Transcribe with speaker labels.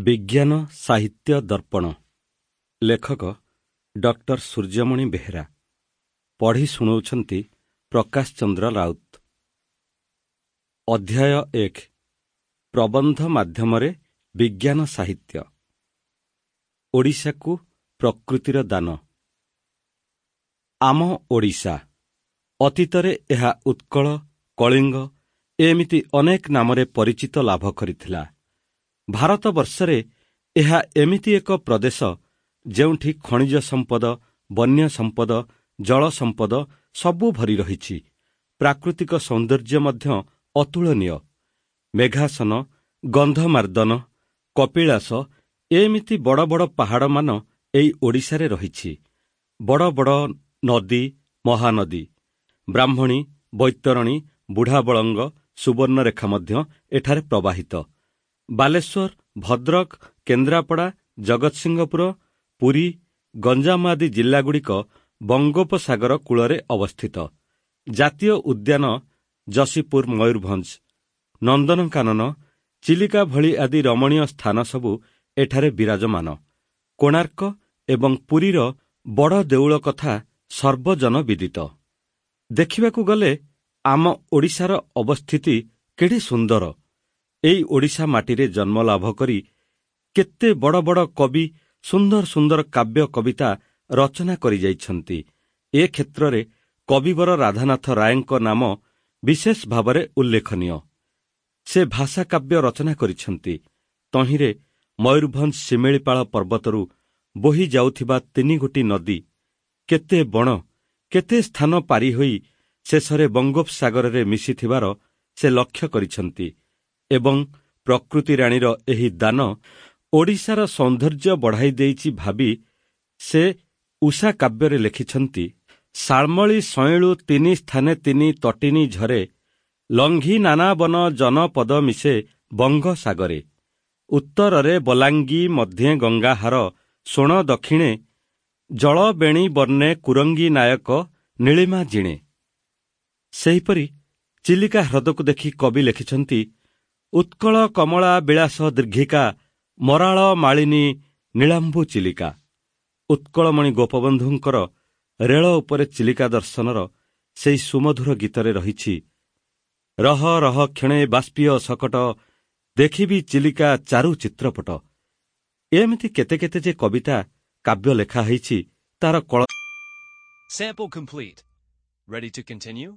Speaker 1: ବିଜ୍ଞାନ ସାହିତ୍ୟ ଦର୍ପଣ। ଲେଖକ ଡକ୍ଟର ସୂର୍ଯ୍ୟମଣି ବେହେରା। ପଢ଼ି ଶୁଣାଉଛନ୍ତି ପ୍ରକାଶ ଚନ୍ଦ୍ର ରାଉତ। ଅଧ୍ୟାୟ 1, ପ୍ରବନ୍ଧ ମାଧ୍ୟମରେ ବିଜ୍ଞାନ ସାହିତ୍ୟ। ଓଡ଼ିଶାକୁ ପ୍ରକୃତିର ଦାନ। ଆମ ଓଡ଼ିଶା ଅତୀତରେ ଏହା ଉତ୍କଳ, କଳିଙ୍ଗ ଏମିତି ଅନେକ ନାମରେ ପରିଚିତ ଲାଭ କରିଥିଲା। ଭାରତବର୍ଷରେ ଏହା ଏମିତି ଏକ ପ୍ରଦେଶ, ଯେଉଁଠି ଖଣିଜ ସମ୍ପଦ, ବନ୍ୟ ସମ୍ପଦ, ଜଳ ସମ୍ପଦ ସବୁ ଭରି ରହିଛି। ପ୍ରାକୃତିକ ସୌନ୍ଦର୍ଯ୍ୟ ମଧ୍ୟ ଅତୁଳନୀୟ। ମେଘାସନ, ଗନ୍ଧମାର୍ଦ୍ଦନ, କପିଳାସ ଏମିତି ବଡ଼ ବଡ଼ ପାହାଡ଼ମାନ ଏଇ ଓଡ଼ିଶାରେ ରହିଛି। ବଡ଼ ବଡ଼ ନଦୀ, ମହାନଦୀ, ବ୍ରାହ୍ମଣୀ, ବୈତରଣୀ, ବୁଢ଼ାବଳଙ୍ଗ, ସୁବର୍ଣ୍ଣରେଖା ମଧ୍ୟ ଏଠାରେ ପ୍ରବାହିତ। ବାଲେଶ୍ୱର, ଭଦ୍ରକ, କେନ୍ଦ୍ରାପଡ଼ା, ଜଗତସିଂହପୁର, ପୁରୀ, ଗଞ୍ଜାମ ଆଦି ଜିଲ୍ଲାଗୁଡ଼ିକ ବଙ୍ଗୋପସାଗର କୂଳରେ ଅବସ୍ଥିତ। ଜାତୀୟ ଉଦ୍ୟାନ ଯଶୀପୁର, ମୟୂରଭଞ୍ଜ, ନନ୍ଦନକାନନ, ଚିଲିକା ଭଳି ଆଦି ରମଣୀୟ ସ୍ଥାନ ସବୁ ଏଠାରେ ବିରାଜମାନ। କୋଣାର୍କ ଏବଂ ପୁରୀର ବଡ଼ ଦେଉଳ କଥା ସର୍ବଜନ ବିଦିତ। ଦେଖିବାକୁ ଗଲେ ଆମ ଓଡ଼ିଶାର ଅବସ୍ଥିତି କେଡ଼େ ସୁନ୍ଦର! ଏଇ ଓଡ଼ିଶା ମାଟିରେ ଜନ୍ମ ଲାଭ କରି କେତେ ବଡ଼ ବଡ଼ କବି ସୁନ୍ଦର ସୁନ୍ଦର କାବ୍ୟ କବିତା ରଚନା କରିଯାଇଛନ୍ତି। ଏ କ୍ଷେତ୍ରରେ କବିବର ରାଧାନାଥ ରାୟଙ୍କ ନାମ ବିଶେଷ ଭାବରେ ଉଲ୍ଲେଖନୀୟ। ସେ ଭାଷା କାବ୍ୟ ରଚନା କରିଛନ୍ତି। ତହିଁରେ ମୟୂରଭଞ୍ଜ ଶିମିଳିପାଳ ପର୍ବତରୁ ବୋହି ଯାଉଥିବା ତିନିଗୋଟି ନଦୀ କେତେ ବଣ, କେତେ ସ୍ଥାନ ପାରି ହୋଇ ଶେଷରେ ବଙ୍ଗୋପସାଗରରେ ମିଶିଥିବାର ସେ ଲକ୍ଷ୍ୟ କରିଛନ୍ତି ଏବଂ ପ୍ରକୃତି ରାଣୀର ଏହି ଦାନ ଓଡ଼ିଶାର ସୌନ୍ଦର୍ଯ୍ୟ ବଢ଼ାଇ ଦେଇଛି ଭାବି ସେ ଉଷା କାବ୍ୟରେ ଲେଖିଛନ୍ତି: ଶାଲ୍ମଳୀ ସଇଁଳୁ ତିନି ସ୍ଥାନେ ତିନି ତଟିନୀ ଝରେ, ଲଙ୍ଘି ନାନା ବନ ଜନପଦ ମିଶେ ବଙ୍ଗସାଗରେ। ଉତ୍ତରରେ ବଲାଙ୍ଗୀ, ମଧ୍ୟେ ଗଙ୍ଗାହାର ଶୋଣ ଦକ୍ଷିଣେ, ଜଳବେଣୀ ବର୍ଣ୍ଣେ କୁରଙ୍ଗୀ ନାୟକ ନୀଳିମା ଜିଣେ। ସେହିପରି ଚିଲିକା ହ୍ରଦକୁ ଦେଖି କବି ଲେଖିଛନ୍ତି: ଉତ୍କଳ କମଳା ବିଳାସ ଦୀର୍ଘିକା, ମରାଳ ମାଳିନୀ ନୀଳାମ୍ବୁ ଚିଲିକା। ଉତ୍କଳମଣି ଗୋପବନ୍ଧୁଙ୍କର ରେଳ ଉପରେ ଚିଲିକା ଦର୍ଶନର ସେଇ ସୁମଧୁର ଗୀତରେ ରହିଛି: ରହ ରହ କ୍ଷଣେ ବାଷ୍ପୀୟ ଶକଟ, ଦେଖିବି ଚିଲିକା ଚାରୁ ଚିତ୍ରପଟ। ଏମିତି କେତେ କେତେ ଯେ କବିତା କାବ୍ୟ ଲେଖା ହେଇଛି, ତାର କଳ
Speaker 2: Sample complete. Ready to continue?